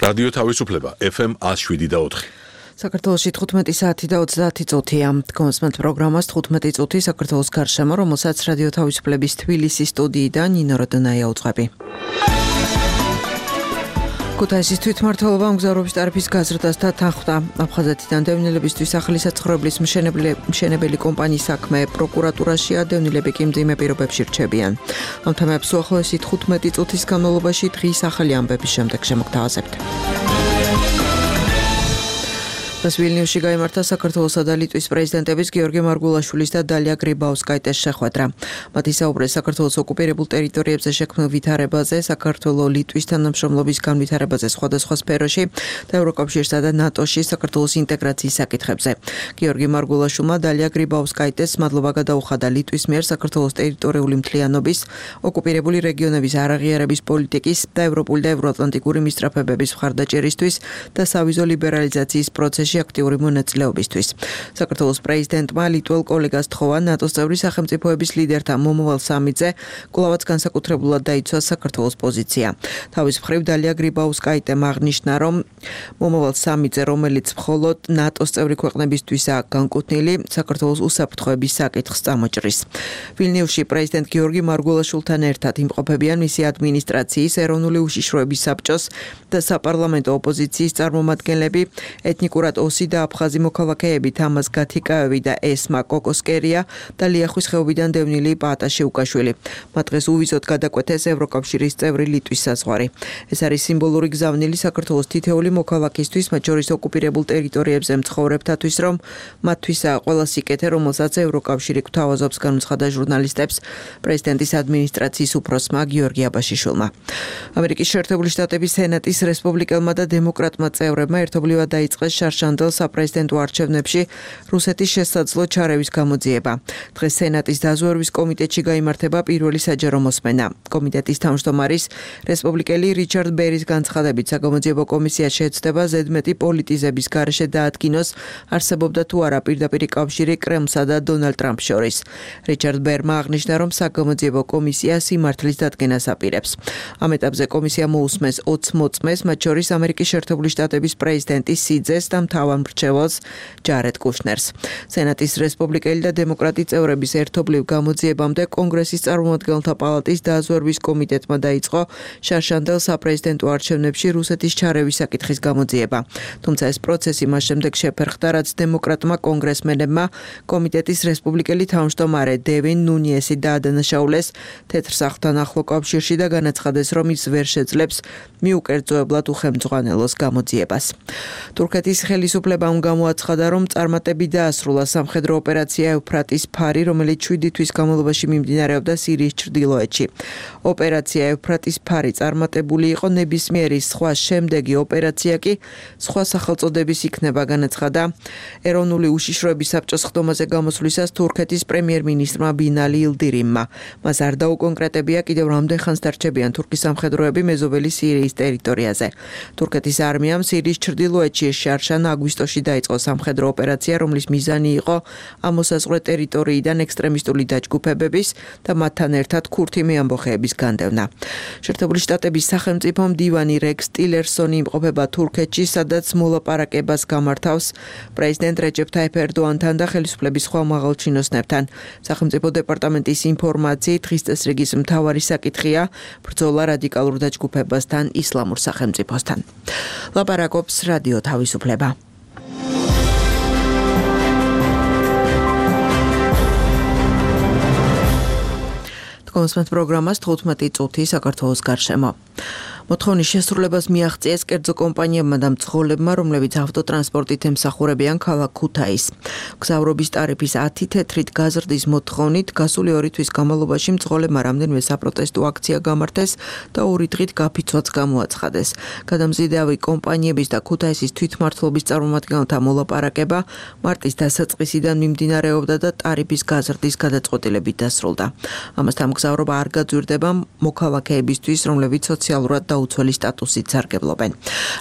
რადიო თავისუფლება FM 107.4. საქართველოში 15 საათი და 30 წუთია. კონსმენტ პროგრამას 15 წუთი საქართველოს გარშემო, რომელსაც რადიო თავისუფლების თბილისის სტუდიიდან ნინო როდონაია უძღვები. ქუთაისის თვითმმართველობა მგზავრობის ტარიფის გაზრდას და თანხმდა. აფხაზეთიდან დევნილებისთვის ახალი საცხოვრებლის მშენებელი კომპანიის საქმე პროკურატურაშია, დევნილები კი მძიმე პირობებში რჩებიან. ამ თემებს უახლოესი 15 წუთის განმავლობაში დღის ახალი ამბების შემდეგ შემოგთავაზებთ. ვილნიუსში გაიმართა საქართველოსა და ლიტვის პრეზიდენტების გიორგი მარგულაშვილის და დალია გრიბაუსკაიტეს შეხვედრა. მათი საუბრეს საქართველოს ოკუპირებულ ტერიტორიებზე შექმნილ ვითარებაზე, საქართველო-ლიტვის თანამშრომლობის განვითარებაზე სხვადასხვა სფეროში და ევროკავშირსა და ნატოში საქართველოს ინტეგრაციის საკითხებზე. გიორგი მარგულაშვილმა დალია გრიბაუსკაიტეს მადლობა გადაუხადა ლიტვის მიერ საქართველოს ტერიტორიული მთლიანობის, ოკუპირებული რეგიონების არაღიარების პოლიტიკის და ევროპული და ევროატლანტიკური მისწრაფებების მხარდაჭერისთვის და სავიზო ლიბერალიზაციის პროცესში აქტიური მონაწილეობისთვის. საქართველოს პრეზიდენტმა ლიტველ კოლეგას თხოვა ნატოს წევრი სახელმწიფოების ლიდერთა მომავალ სამიტზე კვლავაც განსაკუთრებულად დაიცვა საქართველოს პოზიცია. თავის მხრივ დალია გრიბაუსკაიტემ აღნიშნა, რომ მომავალ სამიტზე, რომელიც მხოლოდ ნატოს წევრი ქვეყნებისთვისაა განკუთვნილი, საქართველოს უსაფრთხოების საკითხს წამოჭრის. ვილნიუსში პრეზიდენტ გიორგი მარგულაშვილთან ერთად იმყოფებიან მისი ადმინისტრაციის, ეროვნული უშიშროების საბჭოს და საპარლამენტო ოპოზიციის წარმომადგენლები, ეთნიკურად ოსი და აფხაზი მოქალაქეები თამაზ გათიკაევი და ესმა კოკოსკერია და ლიახვის ხეობიდან დევნილი პაატა შეუკაშვილი. მათ დღეს უვიზოდ გადაკვეთეს ევროკავშირის წევრი ლიტვის საზღვარი. ეს არის სიმბოლური გზავნილი საქართველოს თითეული მოქალაქისთვის, მათ შორის ოკუპირებულ ტერიტორიებზე მცხოვრებთათვის, რომ მათთვისაა ყველა სიკეთე, რომელსაც ევროკავშირი გვთავაზობს, განუცხადა ჟურნალისტებს პრეზიდენტის ადმინისტრაციის უფროსმა გიორგი აბაშიშვილმა. ამერიკის შეერთებული შტატების სენატის რესპუბლიკელმა და დემოკრატმა წევრებმა ერთობლივად დაიწყეს შარშანდელ საპრეზიდენტო არჩევნებში რუსეთის შესაძლო ჩარევის გამოძიება. დღეს სენატის დაზვერვის კომიტეტში გაიმართება პირველი საჯარო მოსმენა. კომიტეტის თავმჯდომარის რესპუბლიკელი რიჩარდ ბერის განცხადებით, საგამოძიებო კომისია შეეცდება ზედმეტი პოლიტიზების გარეშე დაადგინოს, არსებობდა თუ არა პირდაპირი კავშირი კრემლსა და დონალდ ტრამპს შორის. რიჩარდ ბერმა აღნიშნა, რომ საგამოძიებო კომისია სიმართლის დადგენას აპირებს. ამ ეტაპზე კომისია მოусმეს 20 მოწმეს, მათ შორის ამერიკის შეერთებული შტატების პრეზიდენტის სიძეს და მთავარ მრჩეველს ჯარედ კუშნერს. სენატის რესპუბლიკელი და დემოკრატი წევრების ერთობლივ გამოძიებამდე კონგრესის წარმომადგენელთა პალატის დაზვერვის კომიტეტმა დაიწყო შარშანდელ საპრეზიდენტო არჩევნებში რუსეთის ჩარევის საკითხის გამოძიება. თუმცა ეს პროცესი მას შემდეგ შეფერხდა, რაც დემოკრატმა კონგრესმენებმა კომიტეტის რესპუბლიკელი თავმჯდომარე დევინ ნუნიესი დაადანაშაულეს თეთრ სახლთან ახლო კავშირში და განაცხადეს, რომ ის ვერ შეძლებს მიუკერძოებლად უხელმძღვანელოს გამოძიებას. თურქეთის ხელისუფლებამ გამოაცხადა, რომ წარმატებით დაასრულა სამხედრო ოპერაცია ევფრატის ფარი, რომელიც 7 თვის განმავლობაში მიმდინარეობდა სირიის ჩრდილოეთში. ოპერაცია ევფრატის ფარი წარმატებული იყო, ნებისმიერი სხვა შემდეგი ოპერაცია კი სხვა სახელწოდების იქნება, განაცხადა ეროვნული უშიშროების საბჭოს ხდომაზე გამოსვლისას თურქეთის პრემიერ-მინისტრმა ბინალი ილდირიმმა. მას არ დაუკონკრეტებია კიდევ რამდენ ხანს დარჩებიან თურქის სამხედროები მეზობელი სირიის ტერიტორიაზე. თურქეთის არმიამ სირიის ჩრდილოეთში შარშან აგვისტოში დაიწყო სამხედრო ოპერაცია, რომლის მიზანი იყო ამოსაზღვრე ტერიტორიიდან ექსტრემისტული დაჯგუფებების და მათთან ერთად ქურთი მეამბოხეების განდევნა. შეერთებული შტატების სახელმწიფო მდივანი რექს ტილერსონი იმყოფება თურქეთში, სადაც მოლაპარაკებას გამართავს პრეზიდენტ რეჯეფ ტაიფ ერდოანთან და ხელისუფლების სხვა მაღალჩინოსნებთან. სახელმწიფო დეპარტამენტის ინფორმაციით, დღის წესრიგის მთავარი საკითხია ბრძოლა რადიკალურ დაჯგუფებასთან, ისლამურ სახელმწიფოსთან. ლაპარაკობს რადიო თავისუფლება. კონსმენტ პროგრამას 15 წუთი საქართველოს გარშემო. მოთხოვნის შესრულებას მიაღწიეს კერძო კომპანიებმა და მძღოლებმა, რომლებიც ავტოტრანსპორტით ემსახურებიან ქალაქ ქუთაისს. მგზავრობის ტარიფის 10 თეთრით გაზრდის მოთხოვნით გასული 2 თვის განმავლობაში მძღოლებმა რამდენიმე საპროტესტო აქცია გამართეს და 2 დღით გაფიცვაც გამოაცხადეს. გადამზიდავი კომპანიების და ქუთაისის თვითმმართველობის წარმომადგენელთა მოლაპარაკება მარტის დასაწყისიდან მიმდინარეობდა და ტარიფის გაზრდის გადაწყვეტილებით დასრულდა. ამასთან მგზავრობა არ გაძვირდება მოქალაქეებისთვის, რომლებიც სოციალურად დაუცველი სტატუსით სარგებლობენ.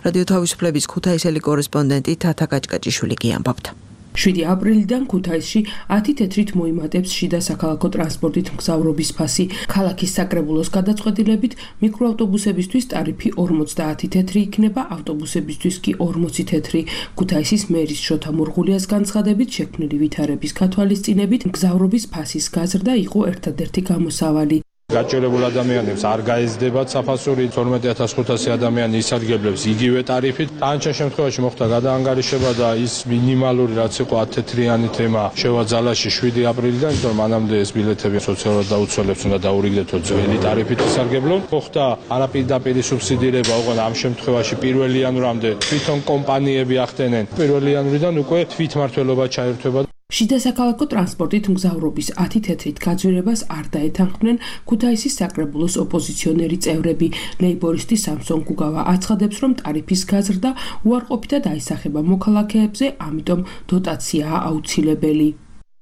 რადიო თავისუფლების ქუთაისელი კორესპონდენტი თათა კაჭკაჭიშვილი კი ამბობთ. 7 აპრილიდან ქუთაისში 10 თეთრით მოიმატებს შიდა საქალაქო ტრანსპორტით მგზავრობის ფასი. ქალაქის საკრებულოს გადაწყვეტილებით მიკროავტობუსებისთვის ტარიფი 50 თეთრი იქნება, ავტობუსებისთვის კი 40 თეთრი. ქუთაისის მერის შოთა მურღულიას განცხადებით შექმნილი ვითარების გათვალისწინებით მგზავრობის ფასის გაზრდა იყო ერთადერთი გამოსავალი. გაჭირებულ ადამიანებს არ გაეზდებათ საფასური 12500 ადამიანი ისარგებლებს იგივე ტარიფით. თანჩა შემთხვევაში მოხდა გადაანგარიშება და ის მინიმალური რაც იყო 10 თეთრიანი თემა შევაძალაში 7 აპრილიდან, იმიტომ მანამდე ეს ბილეთები სოციალურად დაუცველებს უნდა დაურიგდეთო ძველი ტარიფით ისარგებლონ. მოხდა არაპირდაპირი სუბსიდირება, ოღონდ ამ შემთხვევაში 1 იანვრამდე თვითონ კომპანიები ახდენენ. 1 იანვრიდან უკვე თვითმმართველობა ჩაერთვება. შიდა საქალაქო ტრანსპორტით მგზავრობის 10 თეთრით გაძვირებას არ დაეთანხმნენ ქუთაისის საკრებულოს ოპოზიციონერი წევრები. ლეიბორისტი სამსონ გუგავა აცხადებს, რომ ტარიფის გაზრდა უარყოფითად აისახება მოქალაქეებზე, ამიტომ დოტაციაა აუცილებელი.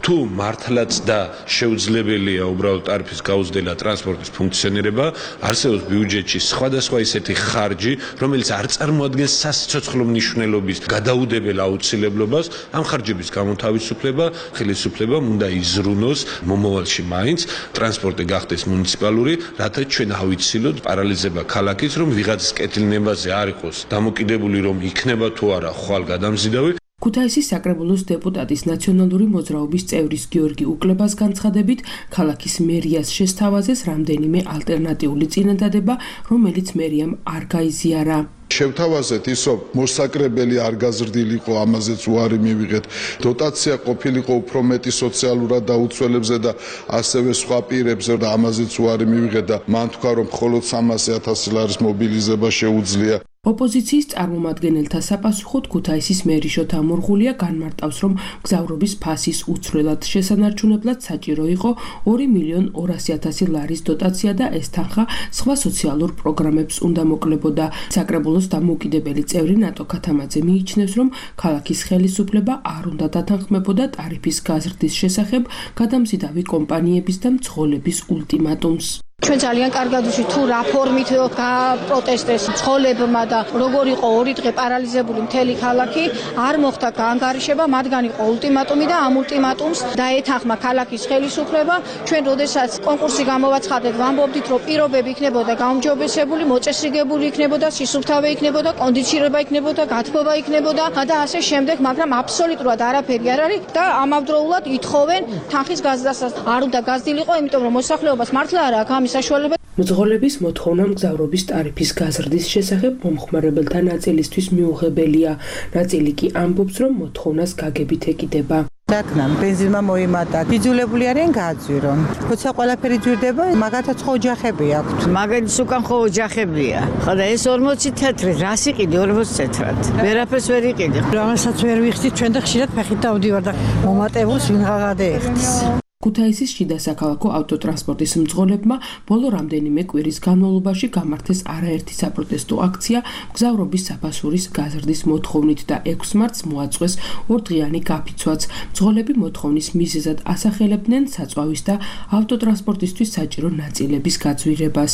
თუ მართლაც და შეუძლებელია უბრალოდ ტარიფის გაუზრდელა ტრანსპორტის ფუნქციონირება, არსებობს ბიუჯეტში სხვადასხვა ისეთი ხარჯი, რომელიც არ წარმოადგენს სასიცოცხლო მნიშვნელობის გადაუდებელ აუცილებლობას. ამ ხარჯების გამოთავისუფლება, ხელისუფლებამ უნდა იზრუნოს მომავალში მაინც ტრანსპორტი გახდეს მუნიციპალური, რათა ჩვენ ავიცილოთ პარალიზება ქალაქის, რომ ვიღაცის კეთილნებაზე არ იყოს დამოკიდებული, რომ იქნება თუ არა ხვალ გადამზიდავი. ქუთაისის საკრებულოს დეპუტატის ნაციონალური მოძრაობის წევრის გიორგი უკლებას განცხადებით, ქალაქის მერიას შესთავაზეს რამდენიმე ალტერნატიული წინადადება, რომელიც მერიამ არ გაიზიარა. შევთავაზეთ ის, რომ მოსაკრებელი არ გაზრდილიყო, ამაზეც უარი მივიღეთ. დოტაცია ყოფილიყო უფრო მეტი სოციალურად დაუცველებზე და ასევე სხვა პირებზე და ამაზეც უარი მივიღეთ და მან თქვა, რომ მხოლოდ 300,000 ლარის მობილიზება შეუძლია. ოპოზიციის წარმომადგენელთა საპასუხოდ ქუთაისის მერი შოთა მურღულია განმარტავს, რომ მგზავრობის ფასის უცვლელად შესანარჩუნებლად საჭირო იყო 2.200.000 ლარის დოტაცია და ეს თანხა სხვა სოციალურ პროგრამებს უნდა მოკლებოდა. საკრებულოს დამოუკიდებელი წევრი ნატო ქათამაძე მიიჩნევს, რომ ქალაქის ხელისუფლება არ უნდა დათანხმებოდა ტარიფის გაზრდის შესახებ გადამზიდავი კომპანიების და მძღოლების ულტიმატუმს. ჩვენ ძალიან კარგად ვიცით თუ რა ფორმით გაპროტესტეს მძღოლებმა და როგორ იყო 2 დღე პარალიზებული მთელი ქალაქი, არ მოხდა გაანგარიშება, მათგან იყო ულტიმატუმი და ამ ულტიმატუმს დაეთანხმა ქალაქის ხელისუფლება. ჩვენ როდესაც კონკურსი გამოვაცხადეთ, ვამბობდით, რომ პირობები იქნებოდა გაუმჯობესებული, მოწესრიგებული იქნებოდა, სისუფთავე იქნებოდა, კონდიცირება იქნებოდა, გათბობა იქნებოდა და ასე შემდეგ, მაგრამ აბსოლუტურად არაფერი არ არის და ამავდროულად ითხოვენ თანხის გაზრდასაც. არ უნდა გაზრდილიყო, იმიტომ რომ მოსახლეობას მართლა არ აქვს მძღოლების მოთხოვნა მგზავრობის ტარიფის გაზრდის შესახებ მომხმარებელთა ნაწილისთვის მიუღებელია. ნაწილი კი ამბობს, რომ მოთხოვნას გაგებით ეკიდება. დათმამ ბენზინმა მოიმატა. იძულებული არიან გააძვირონ. როცა ყველაფერი ძვირდება, მაგათაც ხო ოჯახები აქვთ. მაგათაც უკან ხო ოჯახებია. ხოდა ეს 40 თეთრი, რას იყიდი 40 თეთრად? ვერაფერს ვერ იყიდი. რამასაც ვერ ვიხდით, ჩვენ და ხშირად ფეხით დავდივარ და მომატებულს ვინ გადაეხდის. ქუთაისის შიდა საქალაქო ავტოტრანსპორტის მძღოლებმა ბოლო რამდენიმე კვირის განმავლობაში გამართეს არაერთი საპროტესტო აქცია მგზავრობის საფასურის გაზრდის მოთხოვნით და 6 მარტს მოაწყვეს ორდღიანი გაფიცვაც. მძღოლები მოთხოვნის მიზეზად ასახელებდნენ საწვავის და ავტოტრანსპორტისთვის საჭირო ნაწილების გაძვირებას.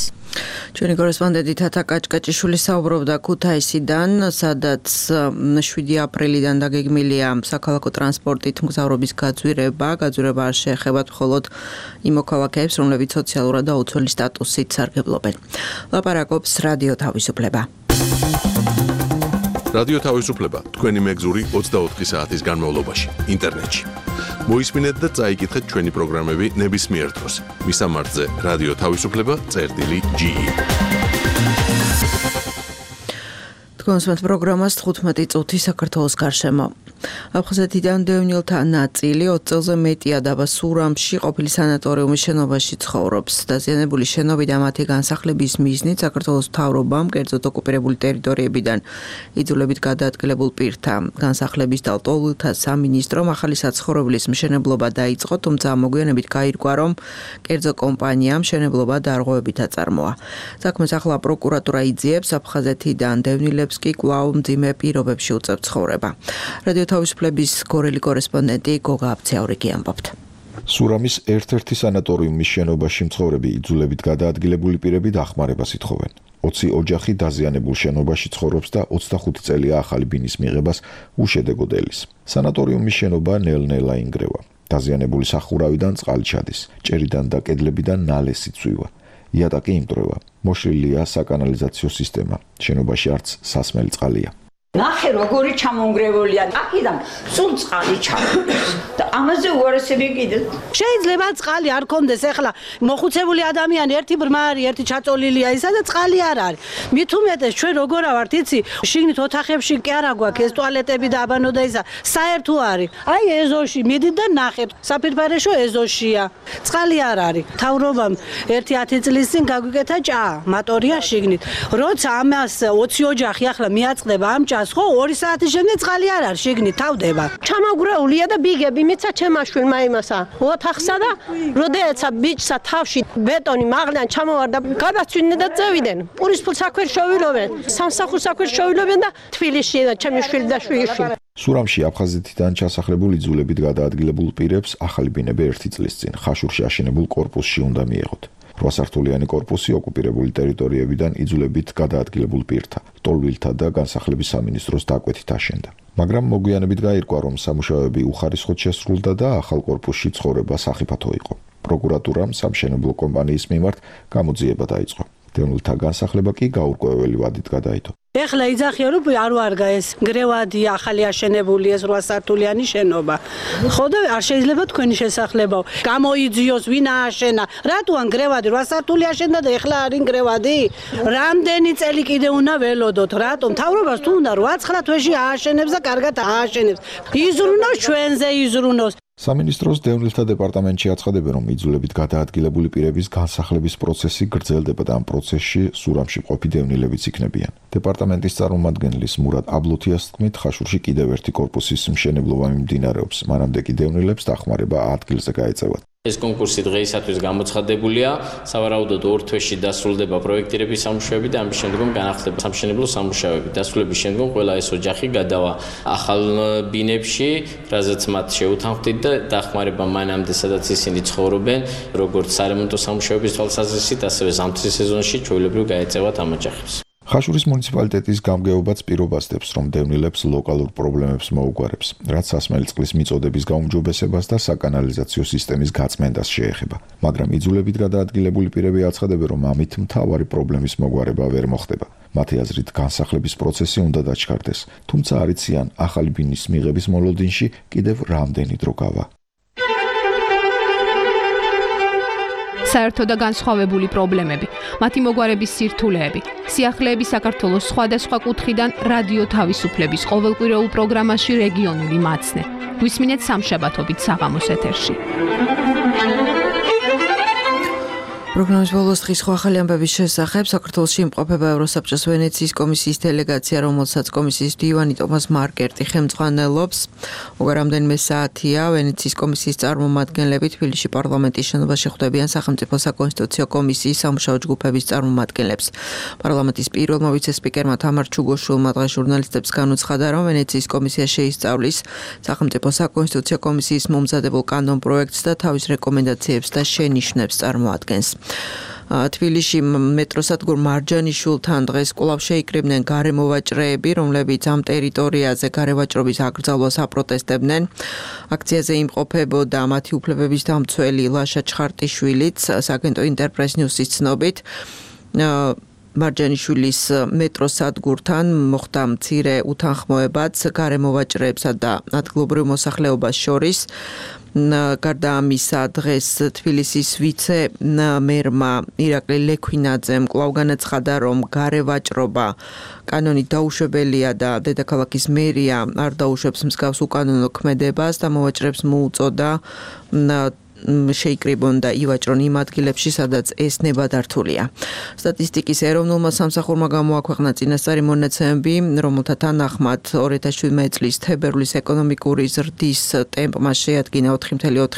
ჩვენი კორესპონდენტი თათა კაჭკაჭიშვილი საუბრობდა ქუთაისიდან, სადაც 7 აპრილიდან დაგეგმილია საქალაქო ტრანსპორტით მგზავრობის გაძვირება არ შეეხება მხოლოდ იმ მოქალაქეებს, რომლებიც სოციალურად დაუცველი სტატუსით სარგებლობენ. ლაპარაკობს რადიო თავისუფლება. რადიო თავისუფლება თქვენი მეგზური 24 საათის განმავლობაში ინტერნეტში. მოისმინეთ და წაიკითხეთ ჩვენი პროგრამები ნებისმიერ დროს. მისამართზე რადიო თავისუფლება.ge. კონსუმენტ პროგრამას 15 წუთი საქართველოს გარშემო. აფხაზეთიდან დევნილთა ნაწილი 20 წელზე მეტია დაბა სურამში ყოფილი სანატორიუმის შენობაში ცხოვრობს. დაზიანებული შენობა და მათი განსახლების მიზნით საქართველოს მთავრობამ კერძოდ ოკუპირებული ტერიტორიებიდან იძულებით გადაადგილებულ პირთა განსახლების და ლტოლვილთა სამინისტრომ ახალი საცხოვრებლის მშენებლობა დაიწყო, თუმცა მოგვიანებით გაირკვა, რომ კერძო კომპანიამ მშენებლობა დარღვევებით აწარმოა. საქმეს ახლა პროკურატურა იძიებს, აფხაზეთიდან დევნილებს კი კვლავ მძიმე პირობებში უწევთ ცხოვრება. რადიო თავისუფლების გორელი კორესპონდენტი გოგა აბცაურიკი ამბობთ. სურამის ერთ-ერთი სანატორიუმის შენობაში მცხოვრები იძულებით გადაადგილებული პირები დახმარებას ითხოვენ. 20 ოჯახი დაზიანებულ შენობაში ცხოვრობს და 25 წელია ახალი ბინის მიღებას უშედეგოდ ელის. სანატორიუმის შენობა ნელ-ნელა ინგრევა. დაზიანებული სახურავიდან წყალი ჩადის, ჭერიდან და კედლებიდან ნალესი წვივა. იატაკი იმტრევა. მოშლილია საკანალიზაციო სისტემა. შენობაში არც სასმელი წყალია. ნახე როგორი ჩამონგრეულია. აქედან სულ წყალი ჩამოდის და ამაზე უარესები კიდე. შეიძლება წყალი არ კონდეს, ეხლა მოხუცებული ადამიანი ერთი ბრმა არის, ერთი ჩაწოლილია ისა და წყალი არ არის. მით უმეტეს ჩვენ როგორ ავართ, იცი, შიგნით ოთახებში კი არა გვაქვს ეს ტუალეტები და აბანო და ისა, საერთო არის. აი ეზოში მიდით და ნახეთ, საფირფარეშო ეზოშია. წყალი არ არის. თავრობამ 1-10 წლის წინ გაგვიკეთა ჭა, მატორია შიგნით. როცა ამას 20 ოჯახი ახლა მიაწყდება ამ ჭას ხო 2 საათის შემდეგ წყალი არ არის შიგნით თავდება. ჩამოგრეულია და ბიგები მიცა ჩემმა შვილმა იმასა ოთახსა და როდეცა ბიჭსა თავში ბეტონი მაღლიდან ჩამოვარდა გადაცვიდნენ და წევიდნენ. პურის ფულს აქვერ შოვილობენ, სამსახურს აქვერ შოვილობენ და თბილისში და ჩემი შვილი და შვილიშვილი. სურამში აფხაზეთიდან ჩასახლებულ იძულებით გადაადგილებულ პირებს ახალი ბინები 1 წლის წინ ხაშურში აშენებულ კორპუსში უნდა მიეღოთ. 8 სართულიანი კორპუსი ოკუპირებული ტერიტორიებიდან იძულებით გადაადგილებულ პირთა, ტოლვილთა და განსახლების სამინისტროს დაკვეთით აშენდა. მაგრამ მოგვიანებით გაირკვა, რომ სამუშაოები უხარისხოდ შესრულდა და ახალ კორპუსში ცხოვრება სახიფათო იყო. პროკურატურამ სამშენებლო კომპანიის მიმართ გამოძიება დაიწყო. დევნილთა განსახლება კი გაურკვეველი ვადით გადაიდო. ეხლა იძახიან რომ არ ვარგა ეს გრევადი ახალი აშენებული ეს 8 სართულიანი შენობა. ხო და არ შეიძლება თქვენი შესახლებაო. გამოიძიოს ვინ ააშენა. რატოან გრევადი 8 სართული აშენდა და ეხლა არის გრევადი? რამდენი წელი კიდე უნდა ველოდოთ? რატომ? თავრობას თუ უნდა 8-9 თვეში ააშენებს და კარგად ააშენებს. იზრუნოს ჩვენზე იზრუნოს. სამინისტროს დევნილთა დეპარტამენტში აცხადებენ, რომ იძულებით გადაადგილებული პირების განსახლების პროცესი გრძელდება და ამ პროცესში სურამში მყოფი დევნილებიც იქნებიან. დეპარტამენტის წარმომადგენლის მურატ აბლოთიას თქმით, ხაშურში კიდევ ერთი კორპუსის მშენებლობა მიმდინარეობს. მანამდე კი დევნილებს დახმარება ადგილზე გაეწევათ. ეს კონკურსი დღეისათვის გამოცხადებულია. სავარაუდოდ 2 თვეში დასრულდება პროექტირების სამუშაოები და ამის შემდგომ განახლდება სამშენებლო სამუშაოები. დასრულების შემდგომ ყველა ეს ოჯახი გადავა ახალ ბინებში, რაზეც მათ შეუთანხმდით და დახმარება მანამდე, სადაც ისინი ცხოვრობენ, როგორც სარემონტო სამუშაოების თვალსაზრისით, ასევე ზამთრის სეზონში ჩვეულებრივ გაეწევათ ამ ოჯახებს. ხაშურის მუნიციპალიტეტის გამგეობაც პირობას დებს, რომ დევნილებს ლოკალურ პრობლემებს მოუგვარებს, რაც სასმელი წყლის მიწოდების გაუმჯობესებას და საკანალიზაციო სისტემის გაწმენდას შეეხება. მაგრამ იძულებით გადაადგილებული პირები აცხადებენ, რომ ამით მთავარი პრობლემის მოგვარება ვერ მოხდება. მათი აზრით, განსახლების პროცესი უნდა დაჩქარდეს, თუმცა არ იციან ახალი ბინის მიღების მოლოდინში კიდევ რამდენი დრო გავა. საერთო და განსხვავებული პრობლემები, მათი მოგვარების სირთულეები, სიახლეები საქართველოს სხვადასხვა კუთხიდან რადიო თავისუფლების ყოველკვირეულ პროგრამაში რეგიონული მაცნე. გვისმინეთ სამშაბათობით საღამოს ეთერში. პროგრამის ბოლოს დღის ახალი ამბების შესახებ საქართველოში იმყოფება ევროსაბჭოს ვენეციის კომისიის დელეგაცია, რომელსაც კომისიის მდივანი ტომას მარკერტი ხელმძღვანელობს. უკვე რამდენიმე საათია ვენეციის კომისიის წარმომადგენლები თბილისში პარლამენტის შენობაში ხვდებიან სახელმწიფო საკონსტიტუციო კომისიის სამუშაო ჯგუფების წარმომადგენლებს. პარლამენტის პირველმა ვიცე-სპიკერმა თამარ ჩუგოშვილმა დღეს ჟურნალისტებს განუცხადა, რომ ვენეციის კომისია შეისწავლის სახელმწიფო საკონსტიტუციო კომისიის მომზადებულ კანონპროექტს და თავის რეკომენდაციებს და შენიშვნებს წარმოადგენს. თბილისში მეტროსადგურ მარჯანიშვილთან დღეს კვლავ შეიკრიბნენ გარემოვაჭრეები, რომლებიც ამ ტერიტორიაზე გარევაჭრობის აკრძალვას აპროტესტებდნენ. აქციაზე იმყოფებოდა მათი უფლებების დამცველი ლაშა ჩხარტიშვილიც, საგენტო ინტერპრეს ნიუსის ცნობით. მარჯანიშვილის მეტროსადგურთან მოხდა მცირე უთანხმოებაც გარემოვაჭრეებსა და ადგილობრივ მოსახლეობას შორის. გარდა ამისა, დღეს თბილისის ვიცე-მერმა ირაკლი ლექვინაძემ კვლავ განაცხადა, რომ გარევაჭრობა კანონით დაუშვებელია და დედაქალაქის მერია არ დაუშვებს მსგავს უკანონო ქმედებას და მოვაჭრეებს მოუწოდა შეიკრიბონ და ივაჭრონ იმ ადგილებში, სადაც ეს ნებადართულია. სტატისტიკის ეროვნულმა სამსახურმა გამოაქვეყნა წინასწარი მონაცემები, რომელთა თანახმად 2017 წლის თებერვლის ეკონომიკური ზრდის ტემპმა შეადგინა 4.4